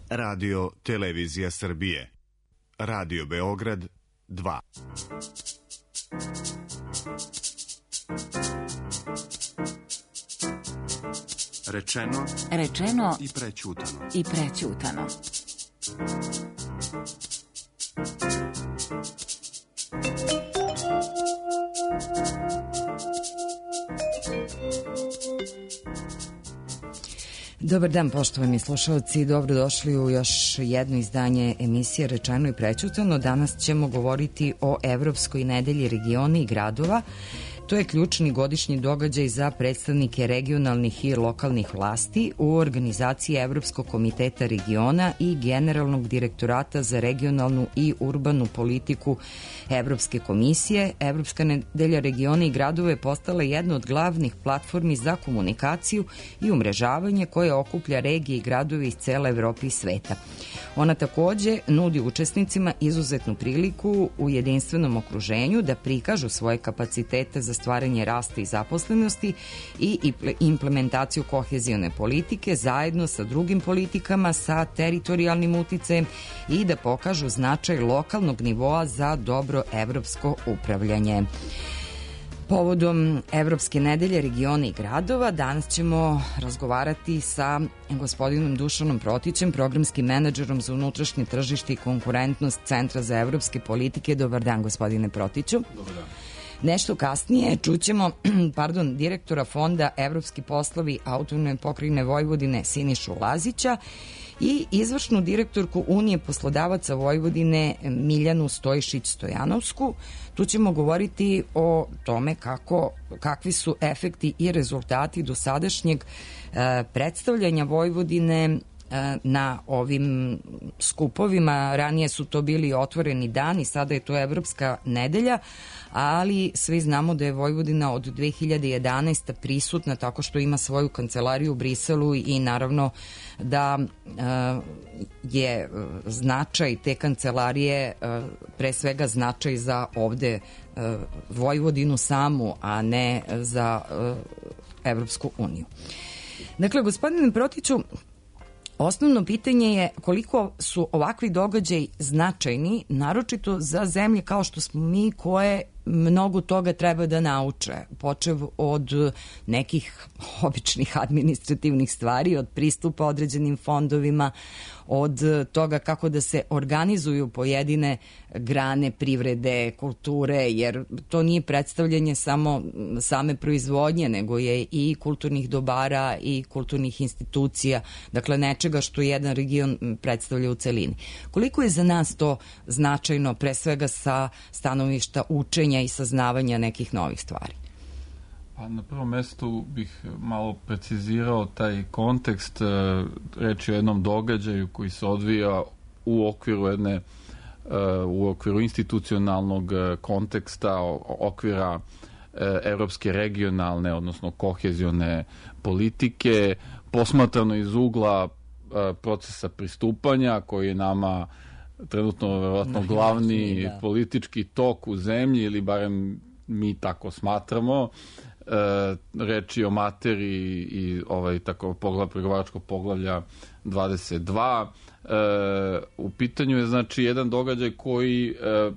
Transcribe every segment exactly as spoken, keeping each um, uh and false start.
Radio Televizija Srbije. Radio Beograd dva. Rečeno, rečeno i prećutano. I prećutano. Dobar dan, poštovani slušalci, dobrodošli u još jedno izdanje emisije Rečeno i prećutano. Danas ćemo govoriti o Evropskoj nedelji regiona i gradova. To je ključni godišnji događaj za predstavnike regionalnih i lokalnih vlasti u organizaciji Evropskog komiteta regiona i Generalnog direktorata za regionalnu i urbanu politiku Evropske komisije. Evropska nedelja regiona i gradova je postala jedna od glavnih platformi za komunikaciju i umrežavanje koje okuplja regije i gradove iz cele Evrope i sveta. Ona takođe nudi učesnicima izuzetnu priliku u jedinstvenom okruženju da prikažu svoje kapacitete za stvaranje rasta i zaposlenosti i implementaciju kohezijone politike zajedno sa drugim politikama, sa teritorijalnim uticajem i da pokažu značaj lokalnog nivoa za dobro evropsko upravljanje. Povodom Evropske nedelje regiona i gradova danas ćemo razgovarati sa gospodinom Dušanom Protićem, programskim menadžerom za unutrašnje tržište i konkurentnost Centra za evropske politike. Dobar dan, gospodine Protiću. Dobar dan. Nešto kasnije čućemo pardon, direktora Fonda Evropski poslovi Autonomne pokrajine Vojvodine Sinišu Lazića i izvršnu direktorku Unije poslodavaca Vojvodine Miljanu Stojišić-Stojanovsku. Tu ćemo govoriti o tome kako, kakvi su efekti i rezultati dosadašnjeg e, predstavljanja Vojvodine na ovim skupovima. Ranije su to bili otvoreni dani, sada je to Evropska nedelja, ali svi znamo da je Vojvodina od dve hiljade jedanaeste. prisutna tako što ima svoju kancelariju u Briselu i naravno da je značaj te kancelarije pre svega značaj za ovde Vojvodinu samu, a ne za Evropsku uniju. Dakle, gospodine Protiću, osnovno pitanje je koliko su ovakvi događaji značajni, naročito za zemlje kao što smo mi, koje mnogo toga treba da nauče, počev od nekih običnih administrativnih stvari, od pristupa određenim fondovima, od toga kako da se organizuju pojedine grane privrede, kulture, jer to nije predstavljanje samo same proizvodnje, nego je i kulturnih dobara i kulturnih institucija, dakle nečega što jedan region predstavlja u celini. Koliko je za nas to značajno, pre svega sa stanovišta učenja i saznavanja nekih novih stvari? Pa na prvom mestu bih malo precizirao taj kontekst. Reč je o jednom događaju koji se odvija u okviru jedne u okviru institucionalnog konteksta, okvira evropske regionalne, odnosno kohezione politike, posmatrano iz ugla procesa pristupanja koji je nama trenutno verovatno glavni da. politički tok u zemlji, ili barem mi tako smatramo. E, reč je o materiji i ovaj tako poglav, pregovaračkog poglavlja dvadeset dva. E, u pitanju je znači jedan događaj koji e,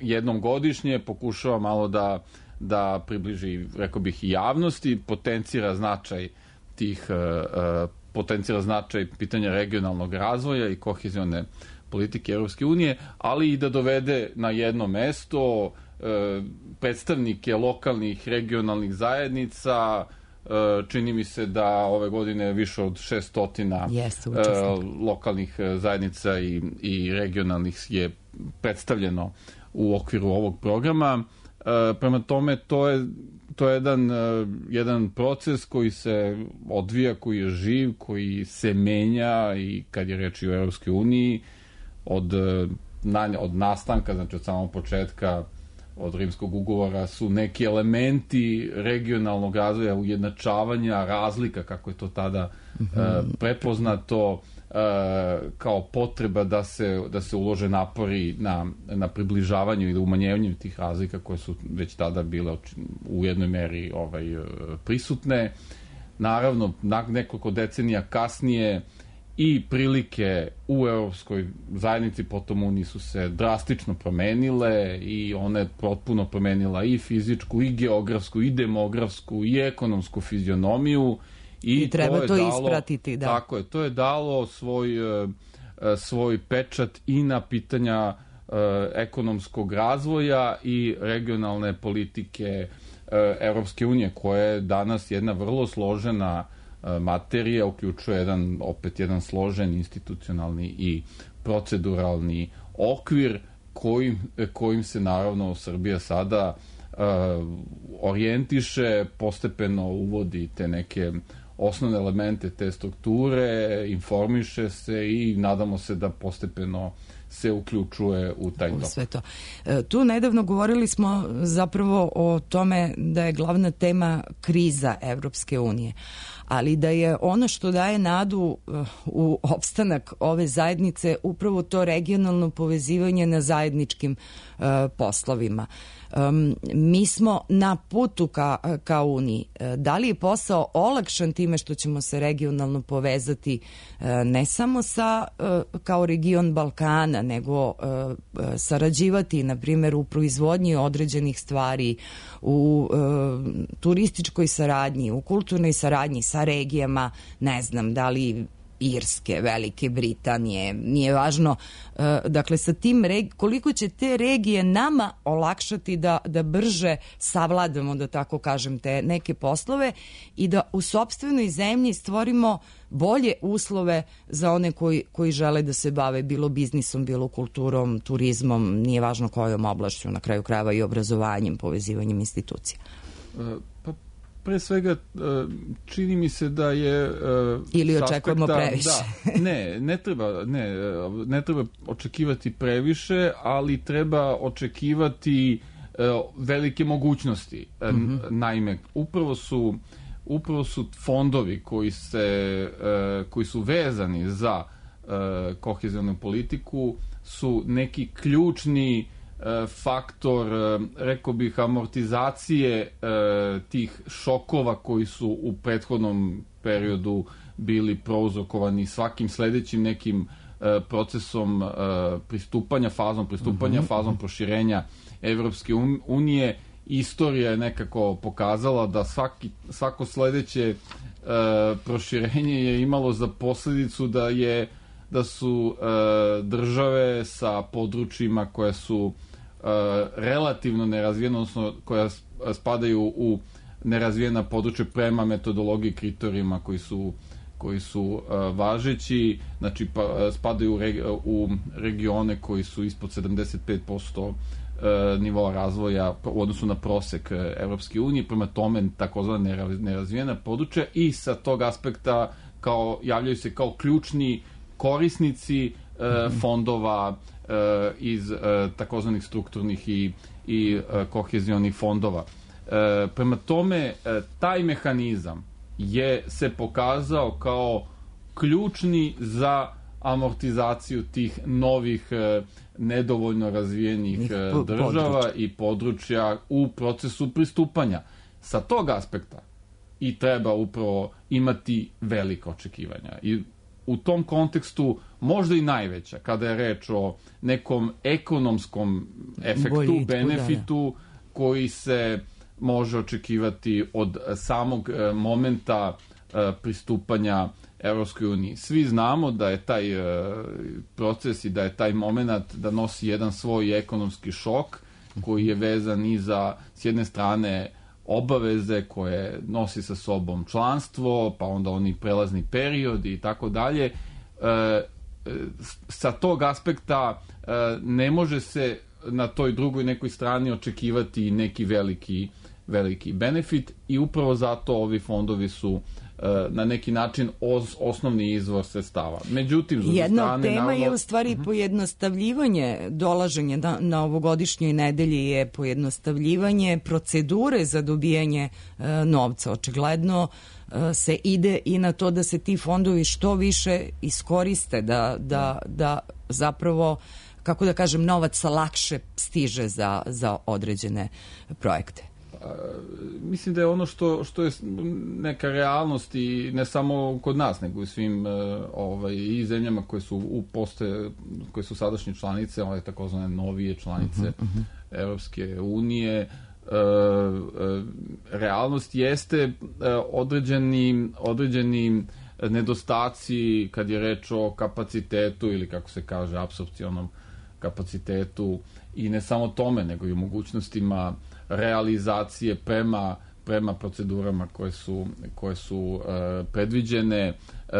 jednom godišnje pokušava malo da, da približi, rekao bih, i javnosti, potencira značaj tih e, potencira značaj pitanja regionalnog razvoja i kohezione politike Evropske unije, ali i da dovede na jedno mesto e, predstavnike lokalnih regionalnih zajednica. E, čini mi se da ove godine više od šestotina yes, e, lokalnih zajednica i, i regionalnih je predstavljeno u okviru ovog programa. E, prema tome, to je to je jedan, jedan proces koji se odvija, koji je živ, koji se menja, i kad je reč o Evropskoj uniji, od, od nastanka, znači od samog početka, od Rimskog ugovora, su neki elementi regionalnog razvoja, ujednačavanja razlika, kako je to tada mm-hmm. prepoznato, kao potreba da se, da se ulože napori na, na približavanju i umanjenju tih razlika koje su već tada bile u jednoj meri ovaj, prisutne. Naravno, nekoliko decenija kasnije i prilike u Europskoj zajednici potom Uniji su se drastično promenile i ona je potpuno promenila i fizičku, i geografsku, i demografsku, i ekonomsku fizionomiju. I, I treba to, to dalo, ispratiti, da. Tako je, to je dalo svoj, svoj pečat i na pitanja ekonomskog razvoja i regionalne politike Evropske unije, koja je danas jedna vrlo složena materija, uključuje jedan, opet jedan složen institucionalni i proceduralni okvir kojim, kojim se naravno Srbija sada uh, orijentiše, postepeno uvodi te neke osnovne elemente te strukture, informiše se i nadamo se da postepeno se uključuje u taj tok. Sve to. E, tu nedavno govorili smo zapravo o tome da je glavna tema kriza Evropske unije, ali da je ono što daje nadu u opstanak ove zajednice upravo to regionalno povezivanje na zajedničkim uh, poslovima. Um, mi smo na putu ka, ka Uniji. Da li je posao olakšan time što ćemo se regionalno povezati uh, ne samo sa uh, kao region Balkana, nego uh, sarađivati, na primjer, u proizvodnji određenih stvari, u uh, turističkoj saradnji, u kulturnoj saradnji sa regijama, ne znam, da li Irske, Velike Britanije, nije važno, uh, dakle sa tim reg- koliko će te regije nama olakšati da, da brže savladamo, da tako kažem, te neke poslove i da u sopstvenoj zemlji stvorimo bolje uslove za one koji, koji žele da se bave bilo biznisom, bilo kulturom, turizmom, nije važno kojom oblašću, na kraju krajeva i obrazovanjem, povezivanjem institucija. Pa pre svega čini mi se da je ili očekujemo aspekta, previše. Da, ne, ne treba, ne, ne treba očekivati previše, ali treba očekivati velike mogućnosti. Mm-hmm. Naime, upravo su upravo su fondovi koji se koji su vezani za kohezionu politiku su neki ključni faktor, rekao bih, amortizacije tih šokova koji su u prethodnom periodu bili prouzrokovani svakim sledećim nekim procesom pristupanja, fazom pristupanja, mm-hmm. fazom proširenja Evropske unije. Istorija je nekako pokazala da svaki, svako sledeće proširenje je imalo za posledicu da je da su e, države sa područjima koje su e, relativno nerazvijene, odnosno koja spadaju u nerazvijena područja prema metodologiji kriterijima koji su koji su e, važeći, znači pa, spadaju u, regi, u regione koji su ispod sedamdeset pet posto e, nivoa razvoja u odnosu na prosek Evropske unije, prema tome takozvana nerazvijena područja i sa tog aspekta kao, javljaju se kao ključni korisnici e, fondova e, iz e, takozvanih strukturnih i, i e, kohezionih fondova. E, prema tome, e, taj mehanizam je se pokazao kao ključni za amortizaciju tih novih e, nedovoljno razvijenih e, država područja. I područja u procesu pristupanja. Sa tog aspekta i treba upravo imati velika očekivanja. I u tom kontekstu možda i najveća, kada je reč o nekom ekonomskom efektu, boljitku, benefitu, da, da. Koji se može očekivati od samog momenta pristupanja Evropskoj uniji. Svi znamo da je taj proces i da je taj moment da nosi jedan svoj ekonomski šok koji je vezan i za, s jedne strane, obaveze koje nosi sa sobom članstvo, pa onda oni prelazni periodi i tako dalje. Sa tog aspekta ne može se na toj drugoj nekoj strani očekivati neki veliki, veliki benefit i upravo zato ovi fondovi su na neki način os, osnovni izvor sredstava. Međutim, s jedna strane, od tema naravno, je u stvari uh-huh. pojednostavljivanje dolaženja na, na ovogodišnjoj nedelji je pojednostavljivanje procedure za dobijanje e, novca. Očigledno e, se ide i na to da se ti fondovi što više iskoriste, da, da, da zapravo, kako da kažem, novac lakše stiže za, za određene projekte. mislim da je ono što, što je neka realnost i ne samo kod nas, nego i svim ovaj, i zemljama koje su u postoje, koje su sadašnje članice, ove takozvane novije članice uh-huh, uh-huh. Evropske unije. E, e, realnost jeste određeni, određeni nedostaci kad je reč o kapacitetu ili kako se kaže apsorpcionom kapacitetu i ne samo tome, nego i o mogućnostima realizacije prema, prema procedurama koje su, koje su uh, predviđene. Uh,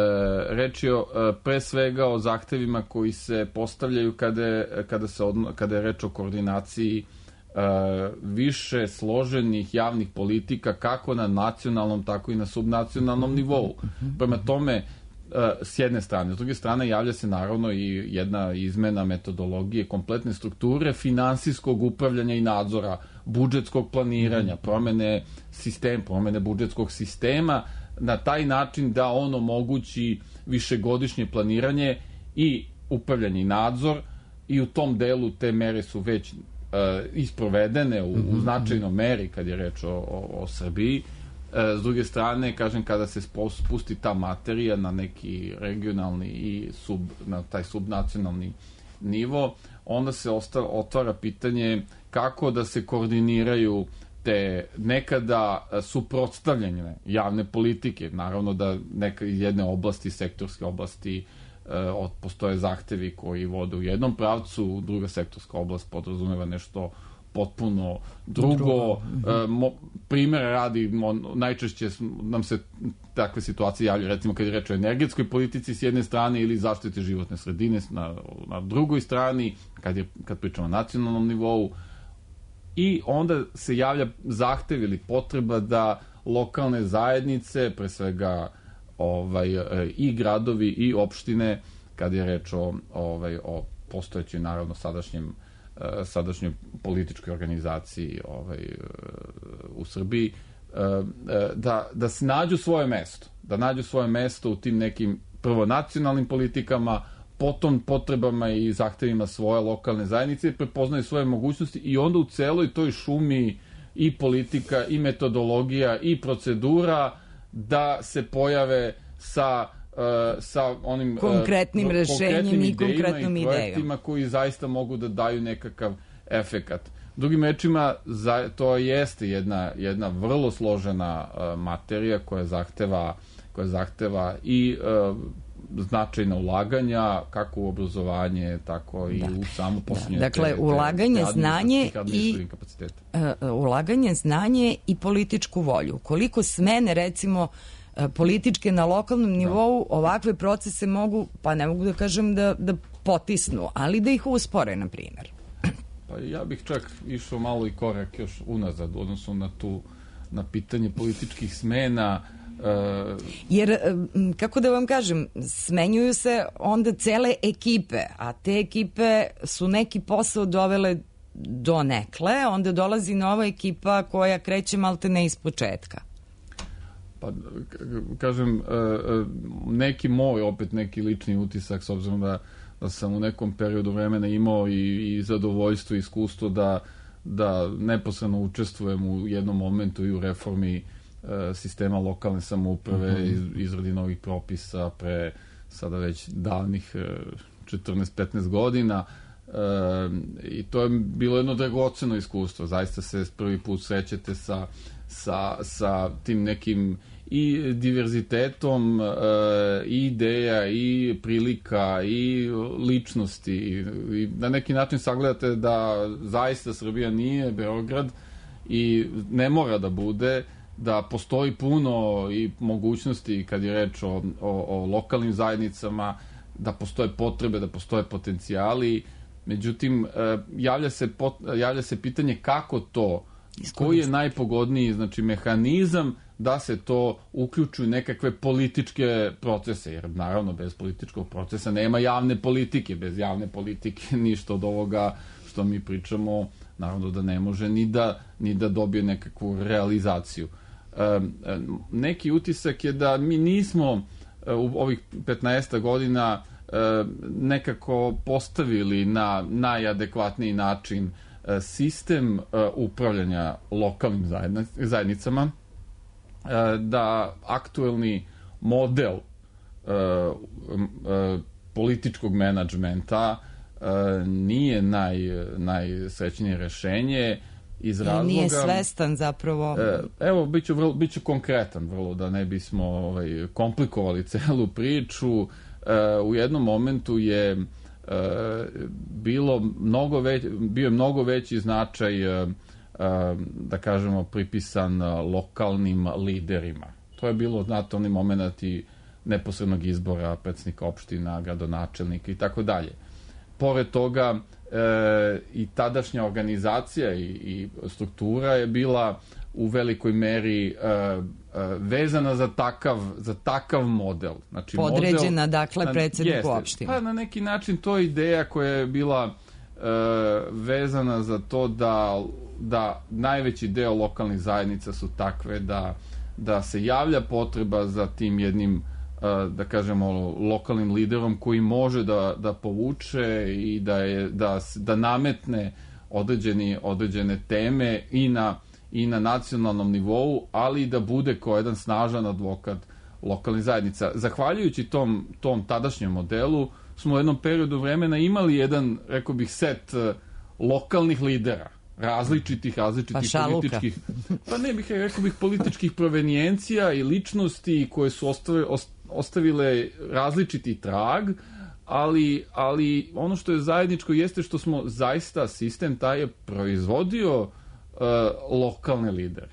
reč je uh, pre svega o zahtevima koji se postavljaju kada, kada, se odno, kada je reč o koordinaciji uh, više složenih javnih politika kako na nacionalnom, tako i na subnacionalnom nivou. Prema tome, s jedne strane. S druge strane, javlja se naravno i jedna izmena metodologije, kompletne strukture finansijskog upravljanja i nadzora, budžetskog planiranja, promene sistem, promene budžetskog sistema na taj način da on omogući višegodišnje planiranje i upravljanje i nadzor i u tom delu te mere su već uh, isprovedene u, u značajnom meri kad je reč o, o, o Srbiji. S druge strane, kažem, kada se spusti ta materija na neki regionalni i sub, na taj subnacionalni nivo, onda se ostav, otvara pitanje kako da se koordiniraju te nekada suprotstavljene javne politike. Naravno da neka iz jedne oblasti, sektorske oblasti, eh, postoje zahtevi koji vode u jednom pravcu, druga sektorska oblast podrazumeva nešto potpuno drugo. drugo. E, mo, primjer radi, mo, najčešće nam se takve situacije javljaju, recimo kad je reč o energetskoj politici s jedne strane ili zaštite životne sredine na, na drugoj strani, kad, je, kad pričamo o nacionalnom nivou. I onda se javlja zahtev ili potreba da lokalne zajednice, pre svega ovaj, i gradovi i opštine, kad je reč o, ovaj, o postojećoj, naravno, sadašnjem sadašnjoj političkoj organizaciji ovaj, u Srbiji, da, da se nađu svoje mesto. Da nađu svoje mesto u tim nekim prvo nacionalnim politikama, potom potrebama i zahtevima svoje lokalne zajednice, prepoznaju svoje mogućnosti i onda u celoj toj šumi i politika, i metodologija, i procedura da se pojave sa Uh, sa onim konkretnim uh, rešenjem i konkretnom idejom i projektima koji zaista mogu da daju nekakav efekat. Drugim rečima, za, to jeste jedna, jedna vrlo složena uh, materija koja zahteva, koja zahteva i uh, značajna ulaganja, kako u obrazovanje, tako i da. u samu posljednje. Da. Dakle, te, ulaganje, te znanje i uh, ulaganje, znanje i političku volju. Koliko smene, recimo, političke na lokalnom nivou ovakve procese mogu, pa ne mogu da kažem da, da potisnu, ali da ih uspore, na primjer. Pa ja bih čak išao malo i korak još unazad, odnosno na tu, na pitanje političkih smena. Uh... Jer, kako da vam kažem, smenjuju se onda cele ekipe, a te ekipe su neki posao dovele do nekle, onda dolazi nova ekipa koja kreće malte ne iz početka. Pa, kažem, neki moj, opet neki lični utisak, s obzirom da, da sam u nekom periodu vremena imao i, i zadovoljstvo i iskustvo da, da neposredno učestvujem u jednom momentu i u reformi sistema lokalne samouprave, mm-hmm. izradi novih propisa pre sada već davnih četrnaest petnaest godina. E, i to je bilo jedno dragoceno iskustvo. Zaista se prvi put srećete sa Sa, sa tim nekim i diverzitetom e, i ideja i prilika i ličnosti i na neki način sagledate da zaista Srbija nije Beograd i ne mora da bude, da postoji puno i mogućnosti kad je reč o, o, o lokalnim zajednicama, da postoje potrebe, da postoje potencijali. Međutim, e, javlja se, pot, javlja se pitanje kako to, koji je najpogodniji, znači, mehanizam da se to uključu u nekakve političke procese, jer naravno bez političkog procesa nema javne politike, bez javne politike ništa od ovoga što mi pričamo naravno da ne može ni da, ni da dobije nekakvu realizaciju. E, neki utisak je da mi nismo u ovih petnaest godina e, nekako postavili na najadekvatniji način sistem upravljanja lokalnim zajednicama, da aktuelni model političkog menadžmenta nije naj, najsrećnije rešenje iz razloga... I nije svestan zapravo... Evo, bit ću, vrlo, bit ću konkretan vrlo, da ne bismo ovaj, komplikovali celu priču. U jednom momentu je bilo mnogo već, bio je mnogo veći značaj, da kažemo, pripisan lokalnim liderima. To je bilo, znate, oni momenti neposrednog izbora predsjednika opština, gradonačelnika i tako dalje. Pored toga, e, i tadašnja organizacija i, i struktura je bila u velikoj meri e, e, vezana za takav, za takav model. Znači, podređena, model, dakle, predsjedniku opštine. Pa na neki način to je ideja koja je bila e, vezana za to da, da najveći deo lokalnih zajednica su takve da, da se javlja potreba za tim jednim, da kažemo, lokalnim liderom koji može da, da povuče i da, je, da, da nametne određeni, određene teme i na, i na nacionalnom nivou, ali i da bude kao jedan snažan advokat lokalnih zajednica. Zahvaljujući tom, tom tadašnjem modelu smo u jednom periodu vremena imali jedan, rekao bih, set lokalnih lidera, različitih, različitih pa političkih, pa ne bih rekao bih političkih provenijencija i ličnosti koje su ostavile, ostavile različiti trag, ali, ali ono što je zajedničko jeste što smo zaista, sistem taj je proizvodio uh, lokalne lidere,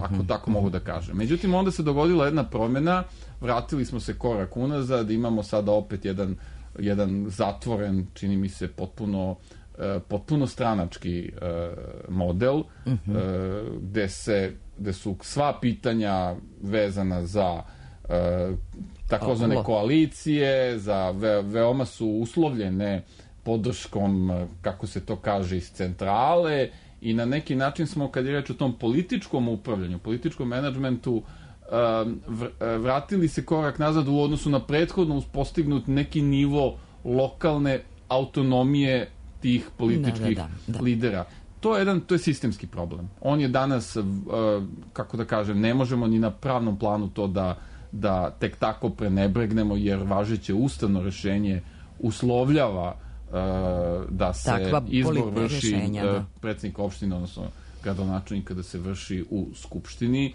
ako tako mogu da kažem. Međutim, onda se dogodila jedna promjena, vratili smo se korak unazad, imamo sada opet jedan, jedan zatvoren, čini mi se potpuno potpuno stranački uh, model, uh-huh. uh, gde, se, gde su sva pitanja vezana za uh, takozvane oh, koalicije, za ve, veoma su uslovljene podrškom, kako se to kaže, iz centrale, i na neki način smo, kad je reč o tom političkom upravljanju, političkom menadžmentu, uh, vratili se korak nazad u odnosu na prethodno postignut neki nivo lokalne autonomije tih političkih da, da, da. lidera. To je jedan, to je sistemski problem. On je danas, uh, kako da kažem, ne možemo ni na pravnom planu to da, da tek tako prenebregnemo, jer važeće ustavno rešenje uslovljava uh, da se takva izbor vrši uh, predsjednik opštine, odnosno gradonačelnika, da se vrši u skupštini.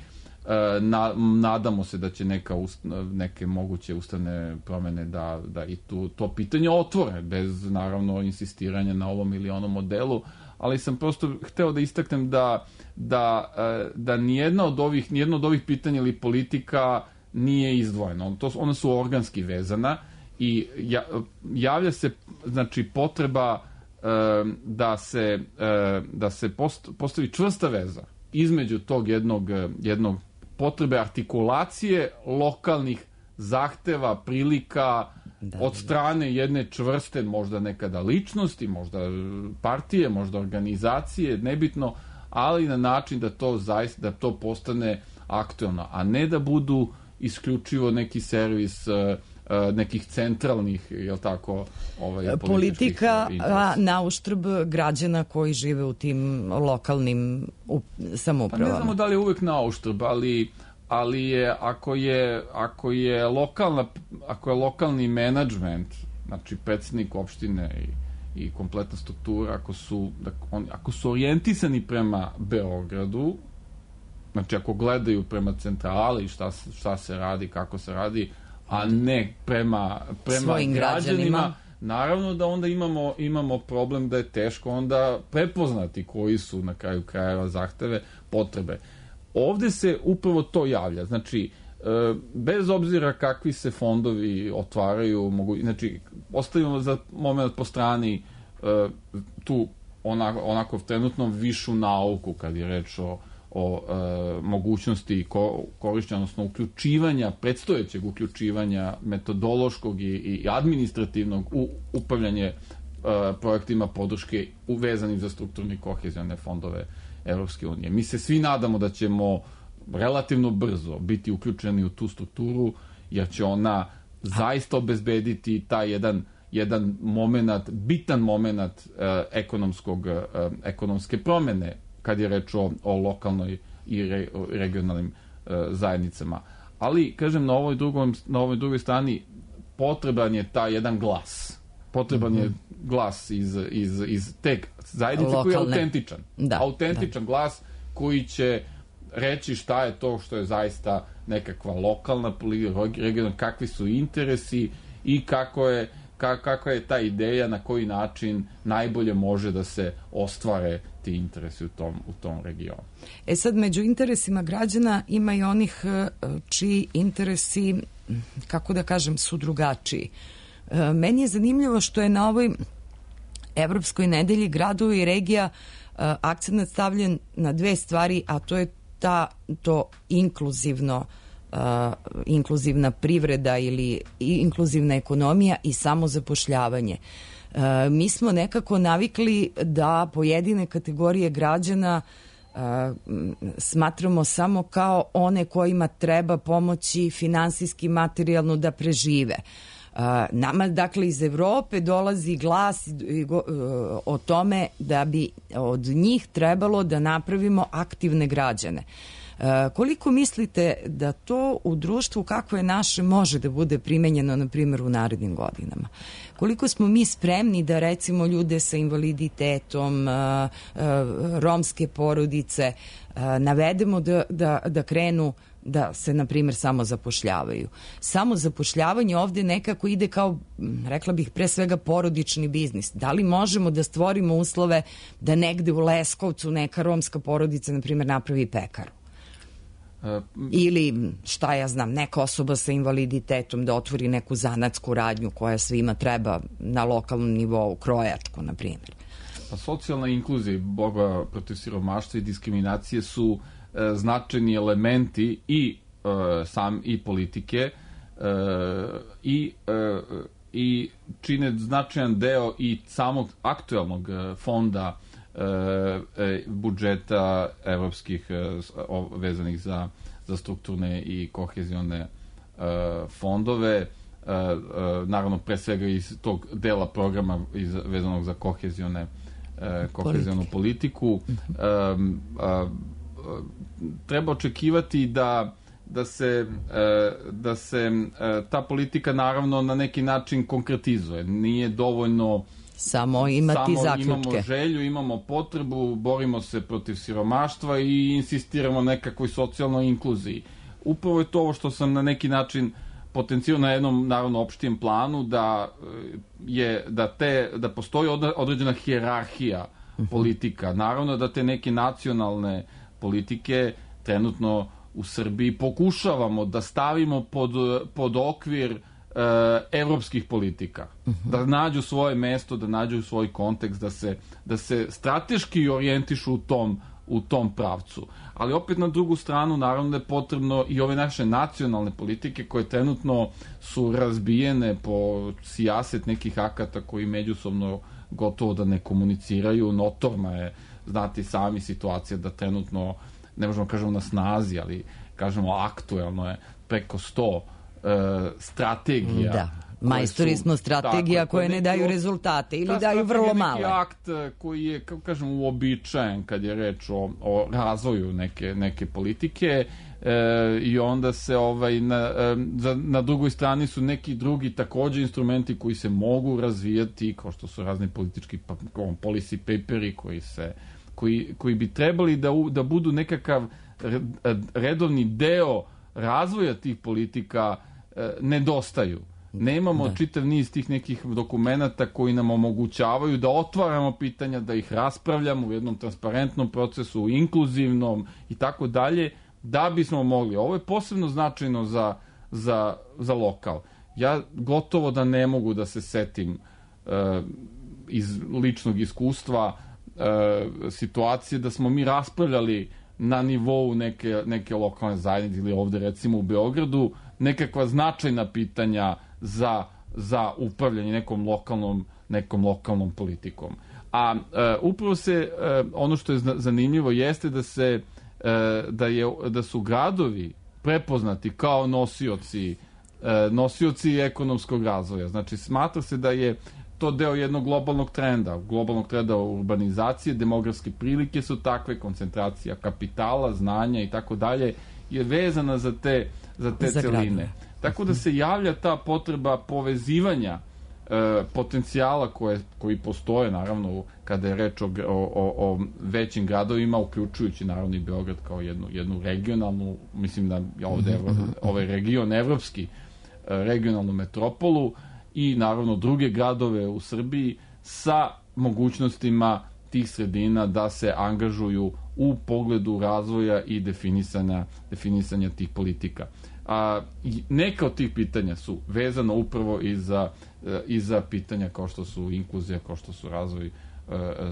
Na, nadamo se da će neka ust, neke moguće ustavne promene da, da i tu, to pitanje otvore, bez naravno insistiranja na ovom ili onom modelu, ali sam prosto hteo da istaknem da, da, da nijedna od ovih, nijedno od ovih pitanja ili politika nije izdvojeno. To, ona su organski vezana i ja, javlja se, znači, potreba da se, da se post, postavi čvrsta veza između tog jednog, jednog potrebe artikulacije lokalnih zahteva, prilika da, od strane jedne čvrste, možda nekada ličnosti, možda partije, možda organizacije, nebitno, ali na način da to zaista, da to postane aktuelno, a ne da budu isključivo neki servis nekih centralnih, jel tako, ovaj, politika na uštrb građana koji žive u tim lokalnim samoupravama. Pa ne znamo da li je uvek na uštrb, ali, ali je, ako je, ako je lokalna, ako je lokalni menadžment, znači predsjednik opštine i, i kompletna struktura, ako su, on, ako su orijentisani prema Beogradu, znači ako gledaju prema centrali šta, šta se radi, kako se radi, a ne prema, prema građanima, građanima, naravno da onda imamo, imamo problem da je teško onda prepoznati koji su na kraju krajeva zahteve, potrebe. Ovde se upravo to javlja, znači, bez obzira kakvi se fondovi otvaraju, mogu, znači, ostavimo za moment po strani tu onako, onako trenutno višu nauku kad je reč o o e, mogućnosti ko, korišćenja, odnosno uključivanja, predstojećeg uključivanja metodološkog i, i administrativnog u upravljanje e, projektima podrške uvezanim za strukturne i kohezione fondove Evropske unije. Mi se svi nadamo da ćemo relativno brzo biti uključeni u tu strukturu, jer će ona zaista obezbediti taj jedan jedan moment, bitan moment ekonomskog, ekonomske promene kad je reč o, o lokalnoj i re, o regionalnim zajednicama. Ali, kažem, na ovoj, drugom, na ovoj drugoj strani potreban je taj jedan glas. Potreban mm-hmm. je glas iz, iz, iz te zajednice Lokalne. Koji je autentičan. Da, autentičan da. Glas koji će reći šta je to što je zaista nekakva lokalna regionalna, kakvi su interesi i kako je, ka, kakva je ta ideja, na koji način najbolje može da se ostvare ti interesi u tom, u tom regionu. E sad, među interesima građana ima i onih čiji interesi, kako da kažem, su drugačiji. Meni je zanimljivo što je na ovoj Evropskoj nedelji gradova i regija akcent stavljen na dve stvari, a to je ta, to inkluzivno uh, inkluzivna privreda ili inkluzivna ekonomija i samozapošljavanje. Uh, mi smo nekako navikli da pojedine kategorije građana uh, smatramo samo kao one kojima treba pomoći finansijski, materijalno da prežive. Uh, nama, dakle, iz Evrope dolazi glas uh, o tome da bi od njih trebalo da napravimo aktivne građane. Uh, koliko mislite da to u društvu kakvo je naše može da bude primenjeno, na primjer, u narednim godinama? Koliko smo mi spremni da, recimo, ljude sa invaliditetom, uh, uh, romske porodice uh, navedemo da, da, da krenu da se, na primjer, samo zapošljavaju. Samo zapošljavanje ovde nekako ide kao, rekla bih, pre svega porodični biznis. Da li možemo da stvorimo uslove da negde u Leskovcu neka romska porodica, na primjer, napravi pekaru? Ili, šta ja znam, neka osoba sa invaliditetom da otvori neku zanatsku radnju koja svima treba na lokalnom nivou, krojačku, na primjer. Pa socijalna inkluzija i borba protiv siromaštva i diskriminacije su značajni elementi i uh, sam i politike uh, i uh, i čine značajan deo i samog aktuelnog fonda uh, budžeta evropskih uh, vezanih za, za strukturne i kohezione uh, fondove, uh, uh, naravno pre svega iz tog dela programa iz, vezanog za kohezione uh, kohezionu politiku. Um, uh, treba očekivati da da se da se ta politika naravno na neki način konkretizuje. Nije dovoljno samo imati samo zaključke. Imamo želju, imamo potrebu, borimo se protiv siromaštva i insistiramo na nekakvoj socijalnoj inkluziji. Upravo je to ovo što sam na neki način potencijao na jednom naravno opštijem planu, da je da te da postoji određena hijerarhija politika. Naravno da te neke nacionalne politike trenutno u Srbiji pokušavamo da stavimo pod, pod okvir e, evropskih politika. Uh-huh. Da nađu svoje mesto, da nađu svoj kontekst, da se, da se strateški orijentišu u tom, u tom pravcu. Ali opet na drugu stranu naravno da je potrebno i ove naše nacionalne politike koje trenutno su razbijene po sijaset nekih akata koji međusobno gotovo da ne komuniciraju. Notorna je, znate sami, situacija da trenutno, ne možemo kažemo na snazi, ali kažemo aktuelno je preko sto e, strategija. Da, majstori smo strategija tako, koje ne daju rezultate ili daju vrlo male. Neki akt koji je, kako kažemo, uobičajen kad je reč o, o razvoju neke, neke politike e, i onda se ovaj, na, e, za, na drugoj strani su neki drugi takođe instrumenti koji se mogu razvijati, kao što su razni politički policy paperi koji se Koji, koji bi trebali da, da budu nekakav redovni deo razvoja tih politika, e, nedostaju. Nemamo da. čitav niz tih nekih dokumenata koji nam omogućavaju da otvaramo pitanja, da ih raspravljamo u jednom transparentnom procesu, inkluzivnom i tako dalje, da bismo mogli. Ovo je posebno značajno za, za, za lokal. Ja gotovo da ne mogu da se setim e, iz ličnog iskustva E, situacije da smo mi raspravljali na nivou neke, neke lokalne zajednice ili ovde recimo u Beogradu nekakva značajna pitanja za, za upravljanje nekom lokalnom, nekom lokalnom politikom. A e, upravo se e, ono što je zanimljivo jeste da se e, da, je, da su gradovi prepoznati kao nosioci nosioci ekonomskog razvoja. Znači, smatra se da je to deo jednog globalnog trenda, globalnog trenda urbanizacije, demografske prilike su takve, koncentracija kapitala, znanja i tako dalje, je vezana za te, za te za celine. Gradne. Tako da se javlja ta potreba povezivanja e, potencijala koje, koji postoje, naravno, kada je reč o, o, o većim gradovima, uključujući naravno i Beograd kao jednu, jednu regionalnu, mislim da je ovde ovaj region evropski, regionalnu metropolu i naravno druge gradove u Srbiji sa mogućnostima tih sredina da se angažuju u pogledu razvoja i definisanja, definisanja tih politika. A, neka od tih pitanja su vezana upravo i za, i za pitanja kao što su inkluzija, kao što su razvoj,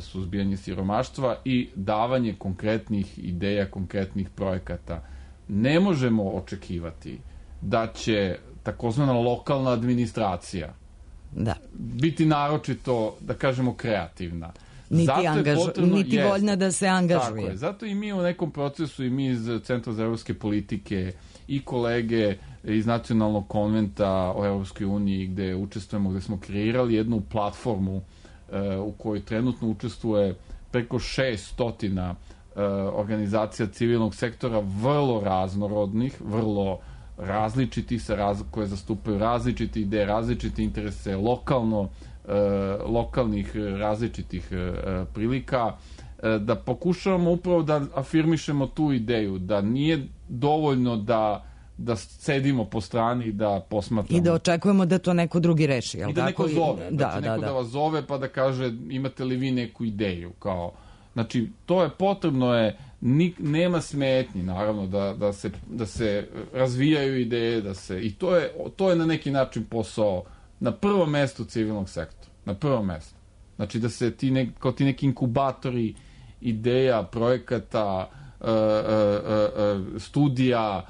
suzbijanje siromaštva i davanje konkretnih ideja, konkretnih projekata. Ne možemo očekivati da će takozvana lokalna administracija da. biti naročito, da kažemo, kreativna. Niti, angaž... potrebno, niti jest, voljna da se angažuje. Tako je. Zato i mi u nekom procesu, i mi iz Centra za evropske politike i kolege iz Nacionalnog konventa o Evropskoj uniji gde učestvujemo, gde smo kreirali jednu platformu uh, u kojoj trenutno učestvuje preko šeststotina uh, organizacija civilnog sektora, vrlo raznorodnih, vrlo različiti se raz, koje zastupaju različite ideje, različite interese, lokalno, e, lokalnih različitih e, prilika, e, da pokušavamo upravo da afirmišemo tu ideju, da nije dovoljno da da sedimo po strani, da posmatramo. I da očekujemo da to neko drugi reši. I da neko zove, da, da će neko da, da vas zove pa da kaže imate li vi neku ideju, kao. Znači, to je potrebno je, nik, nema smetnji, naravno, da, da, se, da se razvijaju ideje, da se, i to je, to je na neki način posao na prvom mestu civilnog sektora, na prvom mestu. Znači, da se ti, ne, kao ti neki inkubatori ideja, projekata, uh, uh, uh, studija,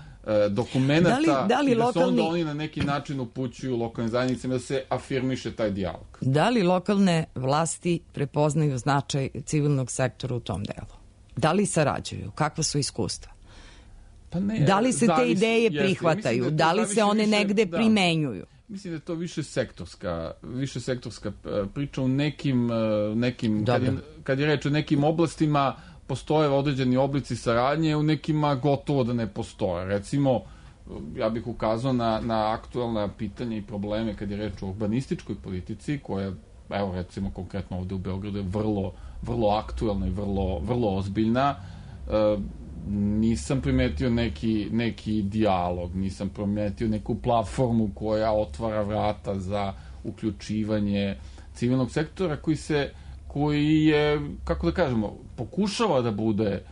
dokumenta, da li, da li i da lokalni... se onda oni na neki način upućuju lokalnim zajednicama da se afirmiše taj dijalog. Da li lokalne vlasti prepoznaju značaj civilnog sektora u tom delu? Da li sarađuju? Kakva su iskustva? Pa ne, da li se zavisi, te ideje prihvataju? Da, da li se one više, negde da, primenjuju? Mislim da je to više sektorska, više sektorska priča u nekim, nekim kad je, kad je reč o nekim oblastima postoje određeni oblici saradnje, u nekima gotovo da ne postoje. Recimo, ja bih ukazao na, na aktualna pitanja i probleme kad je reč o urbanističkoj politici, koja, evo recimo konkretno ovde u Beogradu, je vrlo, vrlo aktuelna i vrlo, vrlo ozbiljna. E, nisam primetio neki, neki dijalog, nisam primetio neku platformu koja otvara vrata za uključivanje civilnog sektora koji se koji je, kako da kažemo, pokušava da bude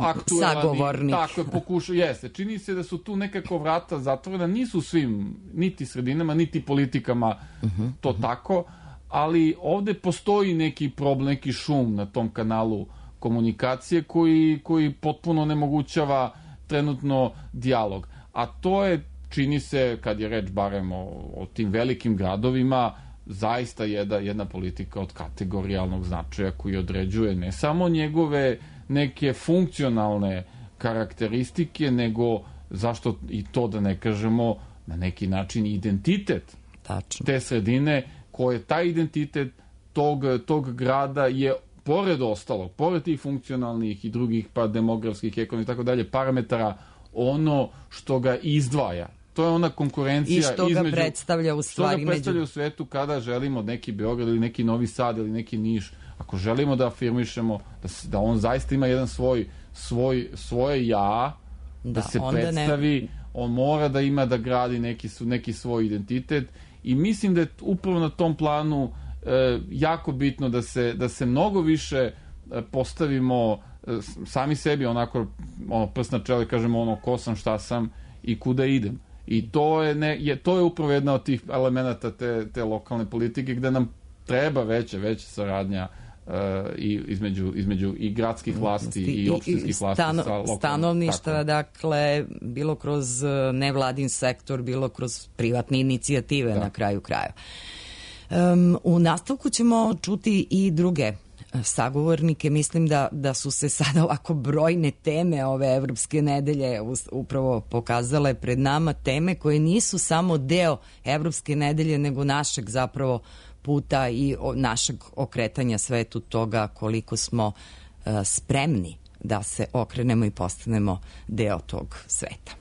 aktuelan. Sagovornik. Tako je, pokušava, jeste. Čini se da su tu nekako vrata zatvorena, nisu svim, niti sredinama, niti politikama uh-huh, to uh-huh. tako, ali ovde postoji neki problem, neki šum na tom kanalu komunikacije koji, koji potpuno onemogućava trenutno dijalog. A to je, čini se, kad je reč barem o, o tim velikim gradovima, zaista jedna, jedna politika od kategorijalnog značaja koji određuje ne samo njegove neke funkcionalne karakteristike, nego zašto i to da ne kažemo na neki način identitet Tačno. te sredine, koje taj identitet tog, tog grada je pored ostalog, pored tih funkcionalnih i drugih pa demografskih, ekonomskih i tako dalje parametara, ono što ga izdvaja. To je ona konkurencija i što između, ga predstavlja u stvari što ga predstavlja među... u svetu kada želimo neki Beograd ili neki Novi Sad ili neki Niš, ako želimo da afirmišemo da, da on zaista ima jedan svoj, svoj svoje ja, da, da se predstavi, ne... on mora da ima da gradi neki, neki svoj identitet i mislim da je upravo na tom planu e, jako bitno da se, da se mnogo više e, postavimo e, sami sebi onako ono, prst na čelo i kažemo ono ko sam, šta sam i kuda idem. I to je, ne, je, to je upravo jedna od tih elemenata te, te lokalne politike gde nam treba veća, veća saradnja uh, i između, između i gradskih vlasti i, i opštinskih vlasti stano, sa lokalnim. Stanovništva, dakle, bilo kroz nevladin sektor, bilo kroz privatne inicijative da. Na kraju kraja. Um, u nastavku ćemo čuti i druge sagovornike. Mislim da, da su se sada ovako brojne teme ove Evropske nedelje upravo pokazale pred nama, teme koje nisu samo deo Evropske nedelje, nego našeg zapravo puta i našeg okretanja svetu, toga koliko smo uh, spremni da se okrenemo i postanemo deo tog sveta.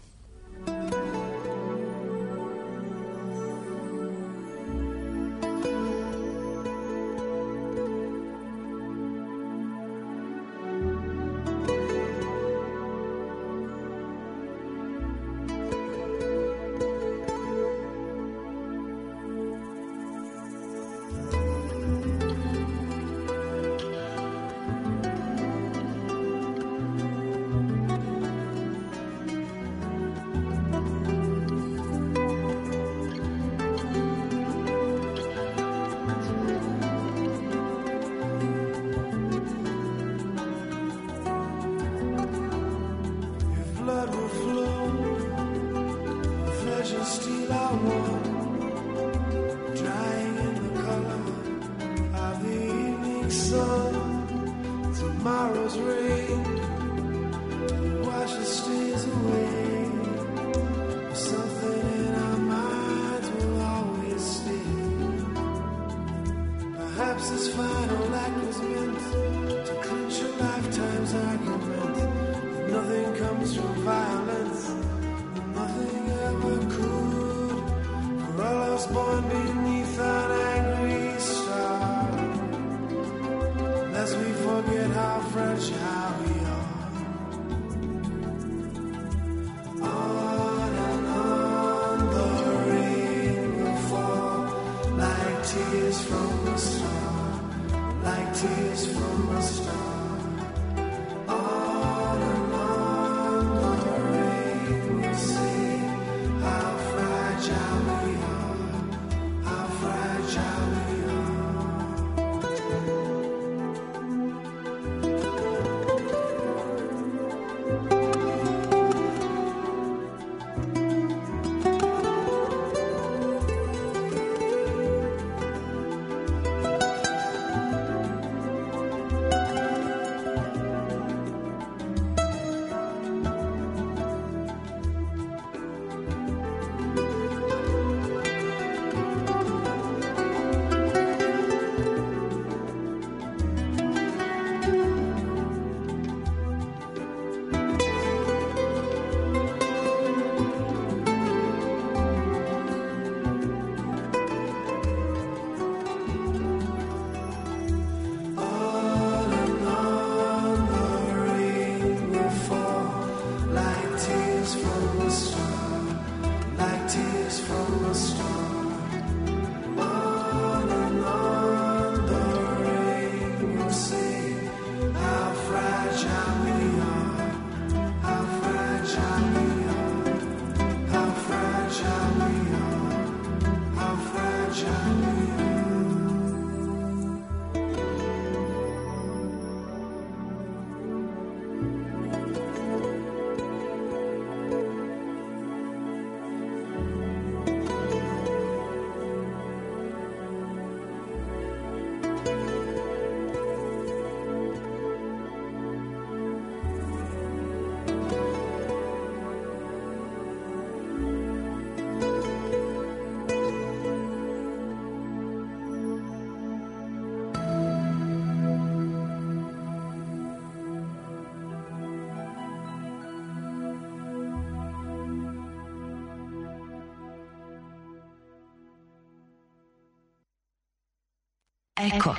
Eko.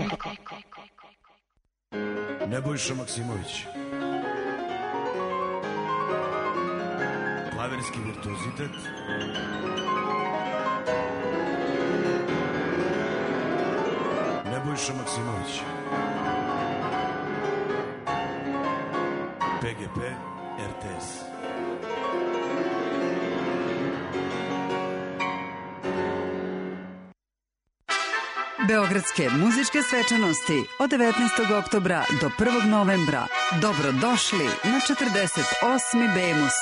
Nebojša Maksimović. Klavirski virtuozitet. Nebojša Maksimović. P G P R T S. Beogradske muzičke svečanosti od devetnaestog oktobra do prvog novembra. Dobrodošli na četrdeset osmi Bemus.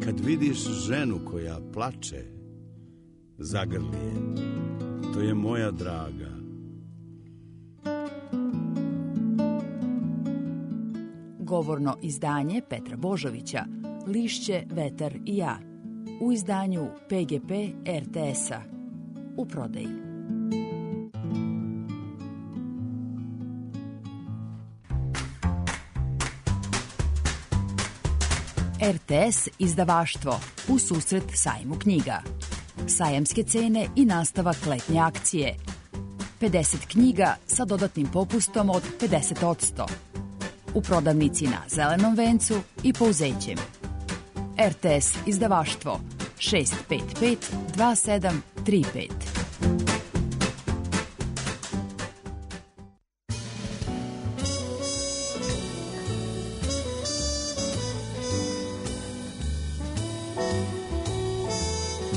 Kad vidiš ženu koja plače, zagrli je. to je moja draga. Govorno izdanje Petra Božovića, Lišće, vetar i ja, u izdanju P G P R T S-a, u prodaji. R T S izdavaštvo u susret sajmu knjiga. Sajamske cene i nastavak letnje akcije. pedeset knjiga sa dodatnim popustom od pedeset posto. U prodavnici na Zelenom vencu i Pouzećem. R T S izdavaštvo šest pet pet dva sedam tri pet.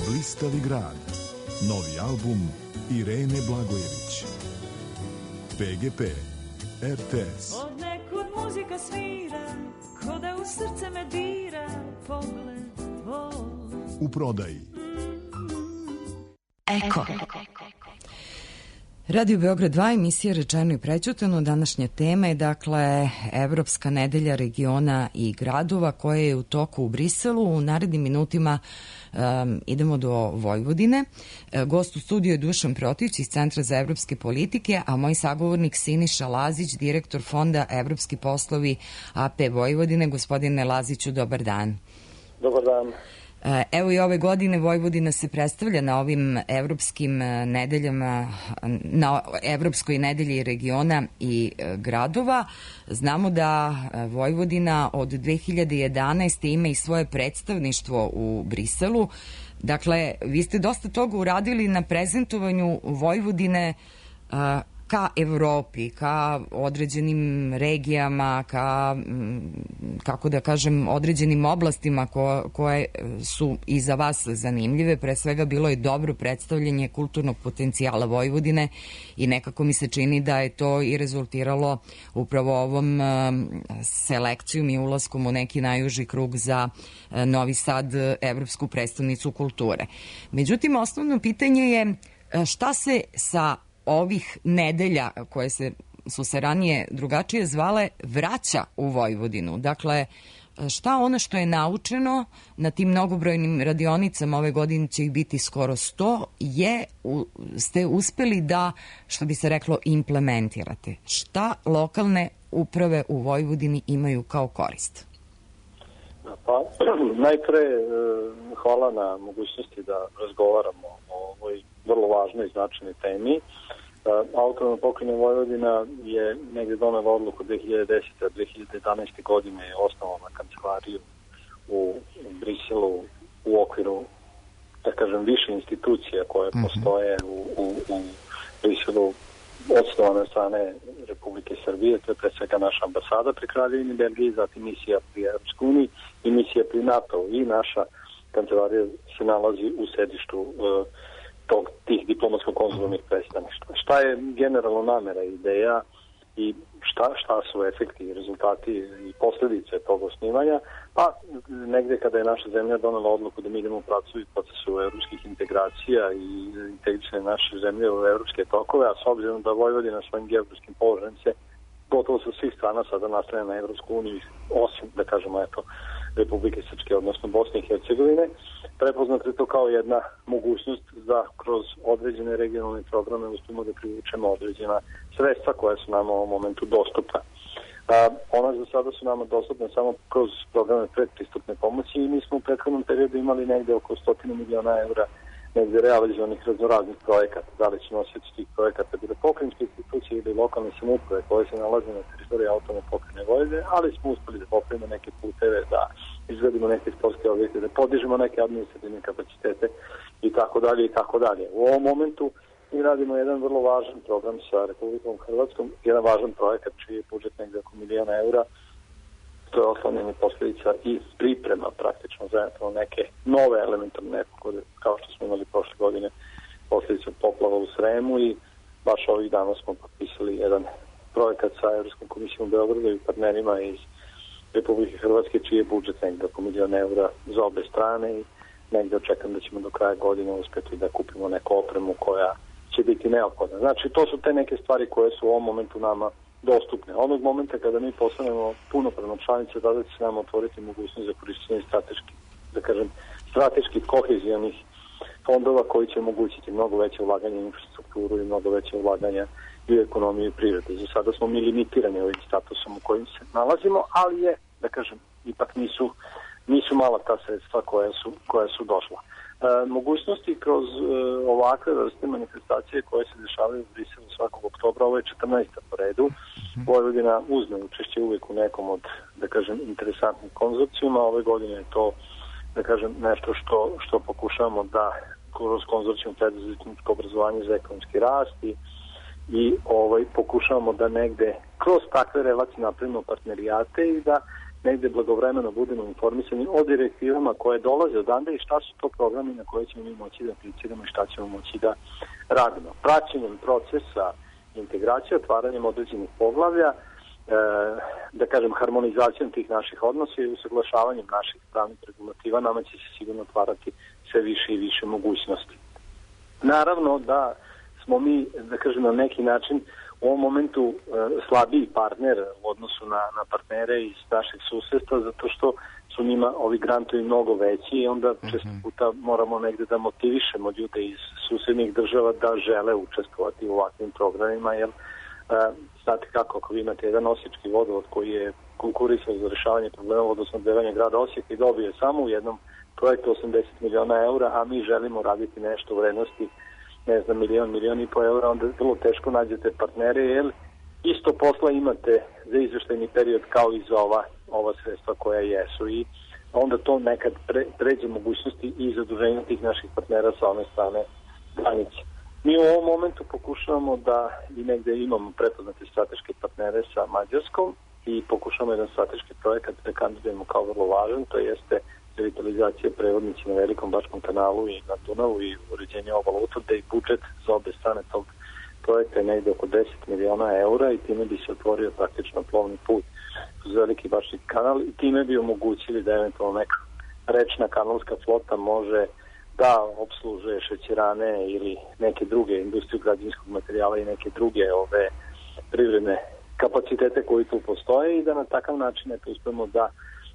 Blistavi grad. Novi album Irene Blagojević. P G P R T S. Od nekud muzika svira, ko da u srce me dira, pogled tvoj. U prodaji. Eko. Radio Beograd dva, emisija Rečeno i prećutano. Današnja tema je dakle Evropska nedelja regiona i gradova koja je u toku u Briselu. U narednim minutima um, idemo do Vojvodine. E, gost u studiju je Dušan Protić iz Centra za evropske politike, a moj sagovornik Siniša Lazić, direktor Fonda Evropski poslovi A P Vojvodine. Gospodine Laziću, dobar dan. Dobar dan. Evo i ove godine Vojvodina se predstavlja na ovim evropskim nedeljama, na Evropskoj nedelji regiona i gradova. Znamo da Vojvodina od dve hiljade jedanaeste. ima i svoje predstavništvo u Briselu. Dakle, vi ste dosta toga uradili na prezentovanju Vojvodine ka Evropi, ka određenim regijama, ka, kako da kažem, određenim oblastima ko, koje su i za vas zanimljive. Pre svega bilo je dobro predstavljanje kulturnog potencijala Vojvodine i nekako mi se čini da je to i rezultiralo upravo ovom selekcijom i ulaskom u neki najuži krug za Novi Sad, Evropsku prestonicu kulture. Međutim, osnovno pitanje je šta se sa ovih nedelja koje se, su se ranije drugačije zvale vraća u Vojvodinu. Dakle, šta ono što je naučeno na tim mnogobrojnim radionicama, ove godine će ih biti skoro sto, je, u, ste uspeli da, što bi se reklo, implementirate. Šta lokalne uprave u Vojvodini imaju kao korist? Pa, najpre, hvala na mogućnosti da razgovaramo o ovoj vrlo važnoj i značajnoj temi. Autonomna pokrajina Vojvodina je negde donela odluku dve hiljade desete. a dve hiljade jedanaeste. godine je osnovala kancelariju u Briselu u okviru, da kažem, više institucija koje mm-hmm. postoje u, u, u Briselu, osnovane od strane Republike Srbije. To je pre svega naša ambasada pri Kraljevini Belgiji, zatim misija pri Evropskoj uniji i misija pri NATO. I naša kancelarija se nalazi u sedištu uh, tog, tih diplomatsko-konzularnih predstavništva. Šta je generalno namera, ideja i šta, šta su efekti, rezultati i posledice tog osnivanja? Pa negde kada je naša zemlja donela odluku da mi idemo u pracu i procesu evropskih integracija i integrisane naše zemlje u evropske tokove, a s obzirom da Vojvodina svojim geografskim položajem se gotovo sa svih strana sada nastavlja na Evropsku uniju, osim, da kažemo, eto, Republike Srpske, odnosno Bosne i Hercegovine, prepoznato je to kao jedna mogućnost da kroz određene regionalne programe uspemo da privučemo određena sredstva koja su nam u ovom momentu dostupna. A, ona za sada su nama dostupne samo kroz programe predpristupne pomoći i mi smo u prethodnom periodu imali negde oko sto miliona eura negde realizovanih raznoraznih projekata. Da li su nosioci tih projekata bile pokrajinske institucije ili lokalne samouprave koje se nalaze na teritoriji autonomne pokrajine Vojvodine, ali smo uspeli da popravimo neke puteve, da izgradimo neke sportske objekte, da podižemo neke administrativne kapacitete i tako dalje i tako dalje. U ovom momentu mi radimo jedan vrlo važan program sa Republikom Hrvatskom, jedan važan projekat čiji je budžet negde oko miliona eura. To je oslanjanje posledica i priprema praktično za neke nove elementarne nepogode, kao što smo imali prošle godine posledica poplava u Sremu, i baš ovih dana smo potpisali jedan projekat sa Evropskom komisijom u Beogradu i partnerima iz Republike Hrvatske, čiji je budžet negde oko miliona eura za obe strane, i negde očekam da ćemo do kraja godine uspeti da kupimo neku opremu koja će biti neophodna. Znači, to su te neke stvari koje su u ovom momentu nama dostupne. Onog momenta kada mi postanemo punopravno članice, tada će se nam otvoriti mogućnost za korišćenje strateških, da kažem, strateških kohezijalnih fondova koji će omogućiti mnogo veće ulaganje u infrastrukturu i mnogo veće ulaganja i u ekonomiju i prirodu. Za sada smo mi limitirani ovim statusom u kojim se nalazimo, ali je, da kažem, ipak nisu, nisu mala ta sredstva koja su, koja su došla. E, mogućnosti kroz e, ovakve vrste manifestacije koje se dešavaju u Briselu svakog oktobra, ovo je četrnaesta po redu. Vojvodina uzme učešće uvijek u nekom od, da kažem, interesantnih konzorcijuma. Ove godine je to, da kažem, nešto što, što pokušavamo da kroz konzorcijum preduzetničko obrazovanje za ekonomski rast i, i ovaj, pokušavamo da negde kroz takve relacije napravimo partnerijate i da negde blagovremeno budemo informisani o direktivama koje dolaze odande i šta su to programi na koje ćemo mi moći da apliciramo i šta ćemo moći da radimo. Praćenjem procesa integracije, otvaranjem određenih poglavlja, e, da kažem harmonizacijom tih naših odnosa i usaglašavanjem naših pravnih regulativa nama će se sigurno otvarati sve više i više mogućnosti. Naravno da smo mi, da kažem, na neki način u ovom momentu e, slabiji partner u odnosu na, na partnere iz našeg susedstva, zato što su njima ovi grantovi mnogo veći i onda često puta moramo negde da motivišemo ljude iz susednih država da žele učestvovati u ovakvim programima, jer e, znate kako, ako vi imate jedan osječki vodovod koji je konkurisao za rešavanje problema vodosnabdevanja grada Osijeka i dobije samo u jednom projektu osamdeset miliona eura, a mi želimo raditi nešto u vrednosti ne znam, milion, milion i po eura, onda vrlo teško nađete partnere, jer isto posla imate za izveštajni period kao i za ova, ova sredstva koja jesu i onda to nekad pre, pređe mogućnosti i zaduženja tih naših partnera sa one strane granice. Mi u ovom momentu pokušavamo da i negde imamo prepoznate strateške partnere sa Mađarskom i pokušamo jedan strateški projekat da kandidujemo kao vrlo važan, to jeste revitalizacija prevodnice na Velikom Bačkom kanalu i na Dunavu i uređenje obala utvrde i budžet za obe strane tog projekta je negde oko deset miliona eura i time bi se otvorio praktično plovni put uz Veliki Bački kanal i time bi omogućili da eventualno neka rečna kanalska flota može da obslužuje šećerane ili neke druge industriju građevinskog materijala i neke druge ove privredne kapacitete koji tu postoje i da na takav način eto uspemo da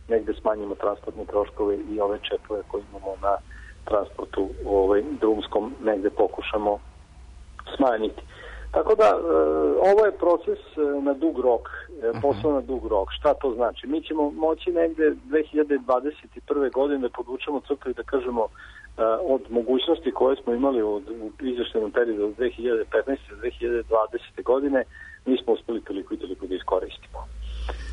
negde smanjimo transportne troškove i ove čepove koje imamo na transportu ovaj, drumskom negde pokušamo smanjiti. Tako da, e, ovo je proces na dug rok, e, posao na dug rok. Šta to znači? Mi ćemo moći negde dve hiljade dvadeset prve godine da podvučemo crtu i da kažemo e, od mogućnosti koje smo imali u, u izveštajnom periodu od dve hiljade petnaeste do dve hiljade dvadesete godine, mi smo uspeli toliko i toliko da iskoristimo.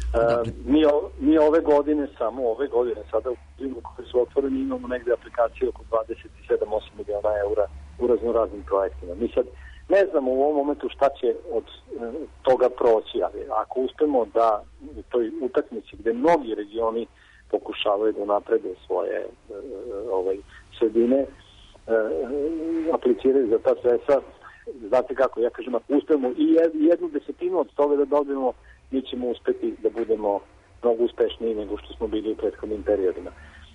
Uh, mi, o, mi ove godine, samo ove godine, sada u zimu koje su otvoreni, imamo negde aplikacije oko dvadeset sedam do osam miliona eura u raznoraznim projektima. Mi sad ne znamo u ovom momentu šta će od uh, toga proći, ali ako uspemo da u toj utakmici gde mnogi regioni pokušavaju da naprede svoje uh, ovaj, sredine, uh, apliciraju za ta sredstva, znate kako, ja kažem, ako uspemo i jednu desetinu od toga da dobijemo, mi ćemo uspeti da budemo mnogo uspešniji nego što smo bili u prethodnim periodima.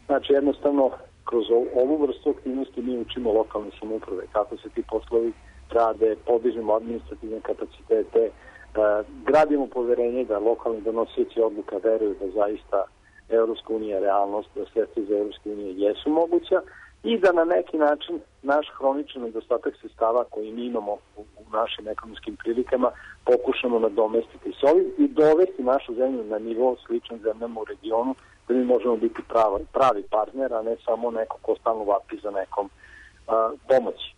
Znači, jednostavno, kroz ovu vrstu aktivnosti mi učimo lokalne samouprave, kako se ti poslovi rade, podižemo administrativne kapacitete, da gradimo poverenje da lokalni donosioci odluka veruju da zaista Evropska unija je realnost, da sredstva za Evropske unije jesu moguća i da na neki način naš hroničan nedostatak sredstava koji mi imamo u, u našim ekonomskim prilikama pokušamo nadomestiti s ovim i dovesti našu zemlju na nivo sličan zemljama u regionu, da mi možemo biti pravi, pravi partner, a ne samo neko ko stalno vapi za nekom a, pomoći.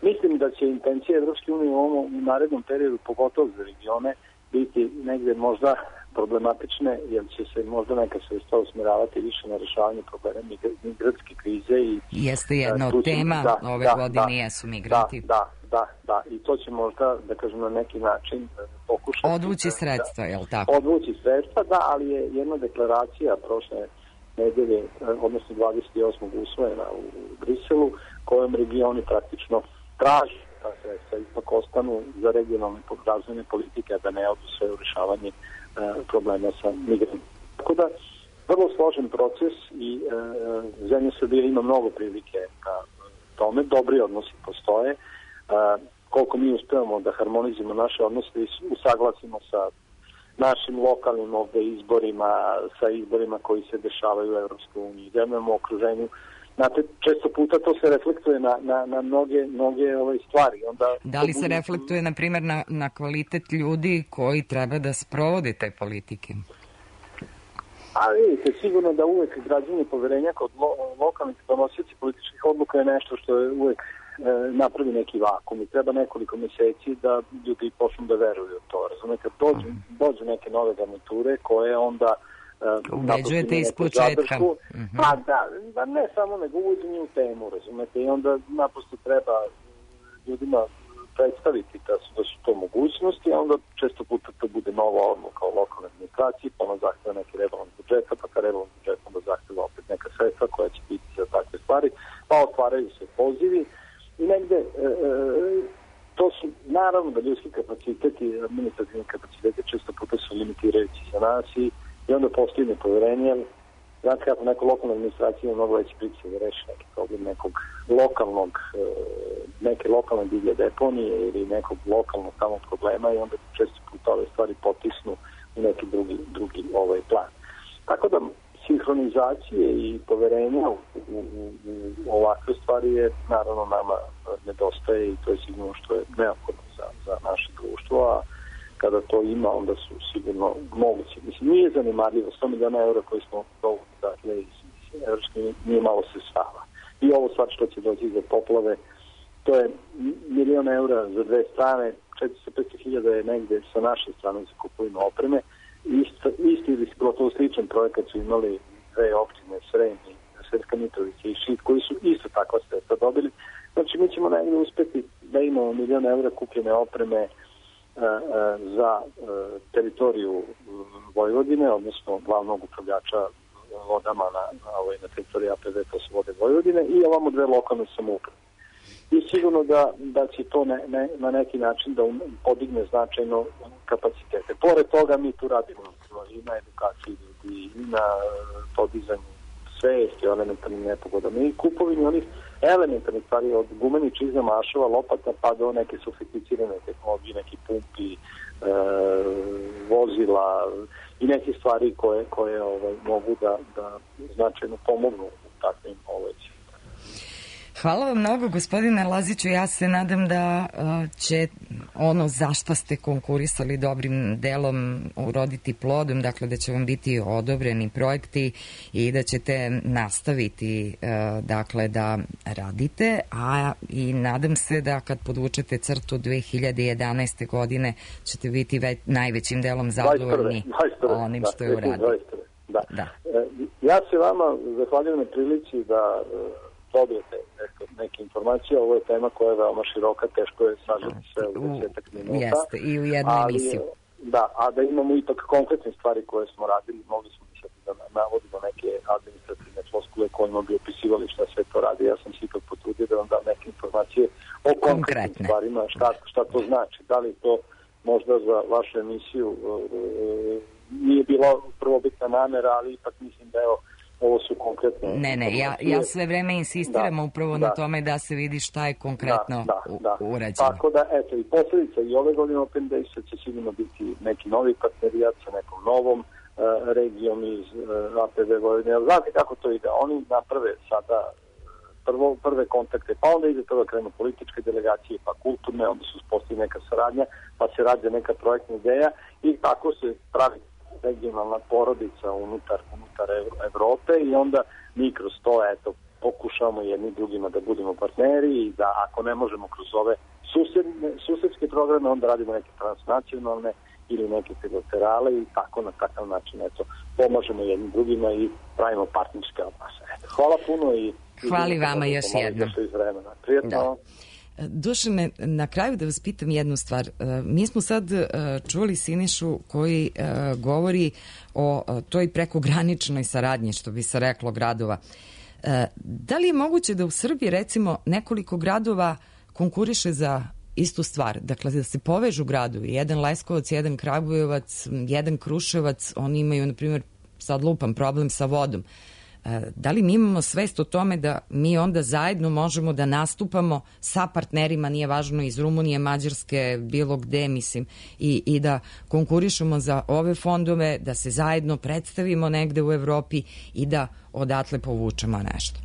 Mislim da će intencija Evropske unije u ovom u narednom periodu, pogotovo za regione, biti negde možda problematične, jer će se možda neka sredstva usmjeravati više na rešavanje problema migratske krize. I jeste jedna od tema da, ove da, godine da, jesu migranti. Da, da, da, da, i to će možda, da kažem, na neki način pokušati... Odvući sredstva, je li tako? Odvući sredstva, da, ali je jedna deklaracija prošle nedelje, odnosno dvadeset osmog usvojena u Briselu, kojom regioni praktično traži ta sredstva ipak ostanu za regionalne razvojne politike, da ne odu sve u rešavanje problema sa migrantima. Tako da, vrlo složen proces i e, zemlja Srbije ima mnogo prilike na tome, dobri odnosi postoje. E, koliko mi uspevamo da harmonizujemo naše odnose i usaglasimo sa našim lokalnim ovde izborima, sa izborima koji se dešavaju u Evropskoj uniji, zemljama u okruženju. Znate, često puta to se reflektuje na, na, na mnoge, mnoge ove stvari. Onda, da li se reflektuje, na primjer, na, na kvalitet ljudi koji treba da sprovode te politike? A vidite, sigurno da uvek građanje poverenja kod lo, lokalnih donosioci političkih odluka je nešto što je uvek e, napravi neki vakum i treba nekoliko meseci da ljudi počnu da veruju u to. Razumete, kad dođu, dođu neke nove garniture koje onda ubeđujete iz početka. Mm-hmm. Pa da, da, ne samo nego uvođenje u temu, razumete, i onda naprosto treba ljudima predstaviti da su, da su to mogućnosti, a onda često puta to bude nova odluka o lokalnoj administraciji, pa ono zahteva neki rebalans budžeta, pa ka rebalans budžeta onda zahteva opet neka sredstva koja će biti za takve stvari, pa otvaraju se pozivi i negde e, to su, naravno da ljudski kapaciteti, administrativni kapaciteti često puta su limitirajući za nas i I onda postoji nepoverenje. Znate kako neko lokalna administracija ima mnogo veći pritisak da reši neki problem nekog lokalnog, neke lokalne divlje deponije ili nekog lokalnog tamo problema i onda često puta ove stvari potisnu u neki drugi, drugi ovaj plan. Tako da sinhronizacije i poverenja u, u, u ovakve stvari je naravno nama nedostaje i to je sigurno što je neophodno za, za naše društvo, a kada to ima, onda su sigurno moguće. Mislim, nije zanimarljivo, sto miliona eura koji smo dovoli, dakle, iz Evropske nije malo sredstava. I ovo stvar što će doći za poplave, to je milion eura za dve strane, četiristo do petsto hiljada je negde sa naše strane za kupovinu opreme. Isto, isti ili gotovo sličan projekat su imali dve opštine, Srem i Sremska Mitrovica i Šid, koji su isto takva sredstva dobili. Znači, mi ćemo negde uspeti da imamo milion eura kupljene opreme za teritoriju Vojvodine, odnosno glavnog upravljača vodama na, na, na teritoriji A P V, to su Vode Vojvodine, i ovamo dve lokalne samouprave. I sigurno da, da će to ne, ne, na neki način da podigne značajno kapacitete. Pored toga mi tu radimo i na edukaciji ljudi, i na podizanju svesti o elementarnim nepogodama i kupovini onih elementarnih stvari od gumenih čizma, mašova, lopata pa do neke sofisticirane tehnologije, neki pumpi, e, vozila i neke stvari koje, koje ovaj, mogu da, da značajno pomognu u takvim ovaj, Hvala vam mnogo, gospodine Laziću. Ja se nadam da uh, će ono za šta ste konkurisali dobrim delom uroditi plodom, dakle da će vam biti odobreni projekti i da ćete nastaviti uh, dakle da radite, a i nadam se da kad podvučete crtu dve hiljade jedanaeste godine ćete biti već, najvećim delom zadovoljni onim što je uradio. Da. Da. Ja se vama zahvaljujem na prilici da dobijete neke informacije. Ovo je tema koja je veoma široka, teško je sažeti sve u desetak minuta. Jeste, i u jednu emisiju. Da, a da imamo ipak konkretne stvari koje smo radili, mogli smo misliti da navodimo neke administrativne floskule kojima bi opisivali šta sve to radi. Ja sam se ipak potrudio da vam dam neke informacije o konkretnim stvarima, šta, šta to znači. Da li to možda za vašu emisiju nije bila prvobitna namera, ali ipak mislim da je ovo su konkretno... Ne, ne, ja, ja sve vreme insistiram da, upravo da, na tome da se vidi šta je konkretno da, da, da. urađeno. Tako da, eto, i posledica i ove godine Open Days će sigurno biti neki novi partnerijat sa nekom novom uh, regijom iz uh, A P V Vojvodine. Znate kako to ide? Oni naprave sada prvo, prve kontakte, pa onda ide toga krenu političke delegacije, pa kulturne, onda se uspostavi neka saradnja, pa se rađe neka projektna ideja i tako se pravi regionalna porodica unutar, unutar Evrope i onda mi kroz to eto, pokušamo jedni drugima da budemo partneri i da ako ne možemo kroz ove susedne, susedske programe, onda radimo neke transnacionalne ili neke bilaterale i tako na takav način eto, pomažemo jednim drugima i pravimo partnerske odnose. Hvala puno i... Hvala vama još jednom. Prijetno. Da. Dušane, na kraju da vas pitam jednu stvar. Mi smo sad čuli Sinišu koji govori o toj prekograničnoj saradnji, što bi se reklo, gradova. Da li je moguće da u Srbiji, recimo, nekoliko gradova konkuriše za istu stvar? Dakle, da se povežu gradovi. Jedan Leskovac, jedan Kragujevac, jedan Kruševac, oni imaju, na primjer, sad lupam, problem sa vodom. Da li mi imamo svest o tome da mi onda zajedno možemo da nastupamo sa partnerima, nije važno iz Rumunije, Mađarske, bilo gde, mislim, i, i da konkurišemo za ove fondove, da se zajedno predstavimo negde u Evropi i da odatle povučemo nešto.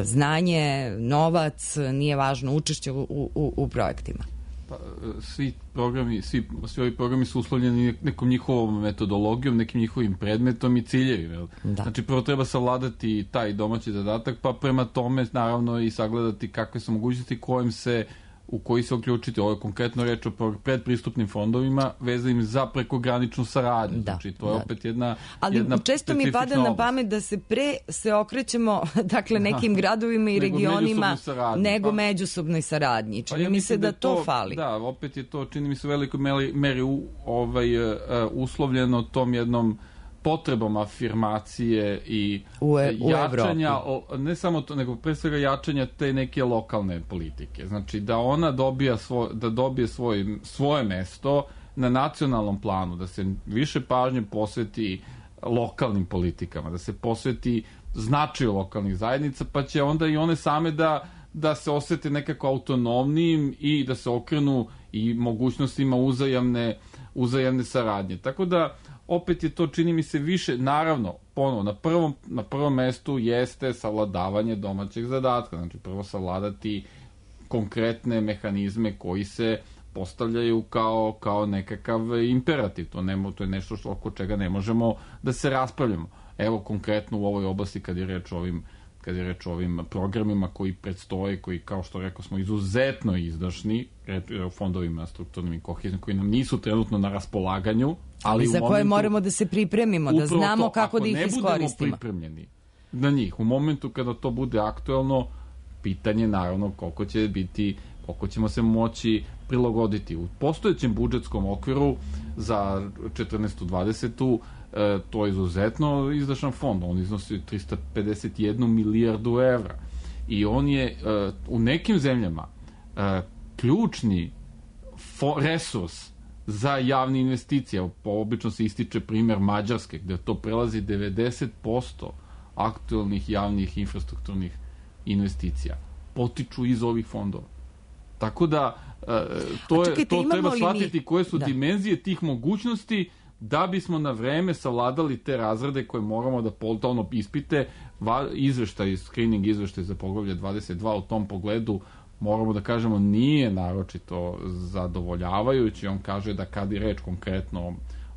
Znanje, novac, nije važno, učešće u, u, u projektima. Pa, svi programi, svi, svi ovi programi su uslovljeni nekom njihovom metodologijom, nekim njihovim predmetom i ciljevima. Da. Znači, prvo treba savladati taj domaći zadatak, pa prema tome, naravno, i sagledati kakve su mogućnosti kojim se, u koji se uključiti. Ovo je konkretno reč o predpristupnim fondovima vezanim za prekograničnu saradnju. Da, znači, to je da. opet jedna Ali jedna često mi pada oblast. Na pamet da se pre se okrećemo dakle, nekim da. gradovima i nego regionima nego pa, međusobnoj saradnji. Čini pa ja mi se da, da to, to fali. Da, opet je to, čini mi se u velikoj meri u, ovaj, uh, uslovljeno tom jednom potrebom afirmacije i u, u jačanja, o, ne samo to, nego pre svega jačanja te neke lokalne politike. Znači da ona dobija svoj, da dobije svoj, svoje mesto na nacionalnom planu, da se više pažnje posveti lokalnim politikama, da se posveti značaju lokalnih zajednica, pa će onda i one same da, da se osete nekako autonomnijim i da se okrenu i mogućnostima uzajamne, uzajamne saradnje. Tako da opet je to, čini mi se, više, naravno, ponovo, na prvom, na prvom mestu jeste savladavanje domaćeg zadatka. Znači, prvo savladati konkretne mehanizme koji se postavljaju kao, kao nekakav imperativ. To, nemo, to je nešto što, oko čega ne možemo da se raspravljamo. Evo, konkretno u ovoj oblasti, kad je reč o ovim, kad je reč o ovim programima koji predstoje, koji, kao što rekao smo, izuzetno izdašni, fondovima strukturnim i kohezijskim, koji nam nisu trenutno na raspolaganju, ali za momentu, koje moramo da se pripremimo, da znamo to, kako da ih iskoristimo. Ako ne budemo pripremljeni na njih, u momentu kada to bude aktuelno, pitanje naravno koliko će biti, koliko ćemo se moći prilagoditi. U postojećem budžetskom okviru za četrnaestu dvadesetu e, to je izuzetno izdašan fond. On iznosi trista pedeset jednu milijardu evra. I on je e, u nekim zemljama e, ključni fo, resurs za javne investicije. Po obično se ističe primjer Mađarske, gde to prelazi devedeset posto aktualnih javnih infrastrukturnih investicija. Potiču iz ovih fondova. Tako da to, je, to treba shvatiti koje su da. dimenzije tih mogućnosti da bismo na vreme savladali te razrede koje moramo da poltalno ispite. Izveštaj, screening izveštaj za poglavlje dvadeset dva u tom pogledu moramo da kažemo nije naročito zadovoljavajući. On kaže da kad je reč konkretno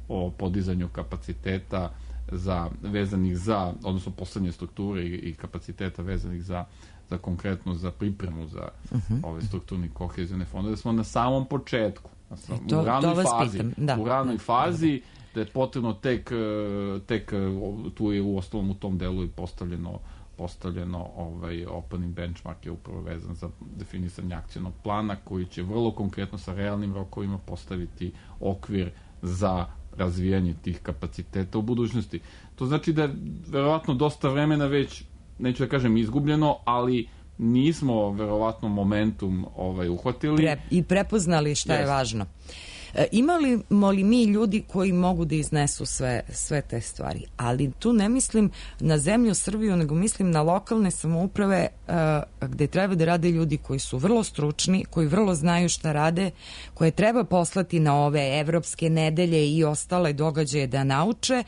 o podizanju kapaciteta za, vezanih za, odnosno poslednje strukture i, i kapaciteta vezanih za za konkretno za pripremu za uh-huh. ove strukturne kohezijone fondove, da smo na samom početku, sam, to, u ranoj fazi, da. u ranoj fazi, da je potrebno tek, tek tu je u osnovom u tom delu i postavljeno postavljeno ovaj opening benchmark je upravo vezan za definisanje akcionog plana koji će vrlo konkretno sa realnim rokovima postaviti okvir za razvijanje tih kapaciteta u budućnosti. To znači da je verovatno dosta vremena već, neću da kažem izgubljeno, ali nismo verovatno momentum uhvatili. Pre, I prepoznali šta yes. je važno. E, imamo li mi ljudi koji mogu da iznesu sve, sve te stvari? Ali tu ne mislim na zemlju Srbiju, nego mislim na lokalne samouprave e, gde treba da rade ljudi koji su vrlo stručni, koji vrlo znaju šta rade, koje treba poslati na ove evropske nedelje i ostale događaje da nauče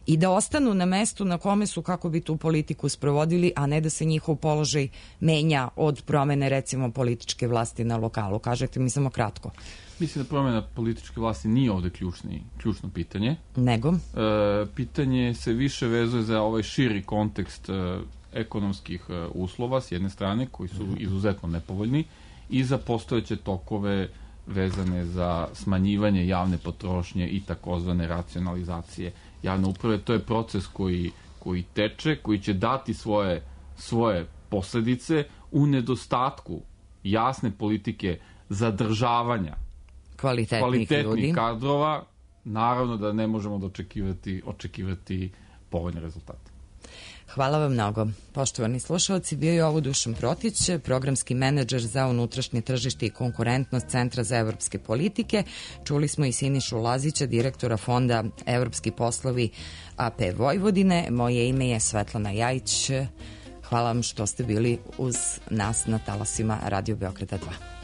i da ostanu na mestu na kome su kako bi tu politiku sprovodili, a ne da se njihov položaj menja od promene recimo političke vlasti na lokalu. Kažete mi samo kratko. Mislim da promjena političke vlasti nije ovde ključni, ključno pitanje. Nego? E, pitanje se više vezuje za ovaj širi kontekst e, ekonomskih e, uslova s jedne strane, koji su izuzetno nepovoljni, i za postojeće tokove vezane za smanjivanje javne potrošnje i takozvane racionalizacije javne uprave. To je proces koji, koji teče, koji će dati svoje, svoje posledice u nedostatku jasne politike zadržavanja kvalitetnih, kvalitetnih ljudi. kadrova. Naravno da ne možemo da očekivati, očekivati povoljne rezultate. Hvala vam mnogo. Poštovani slušalci, bio je ovo Dušan Protić, programski menadžer za unutrašnje tržište i konkurentnost Centra za evropske politike. Čuli smo i Sinišu Lazića, direktora Fonda Evropski poslovi A P Vojvodine. Moje ime je Svetlana Jajić. Hvala vam što ste bili uz nas na talasima Radio Beograda dva.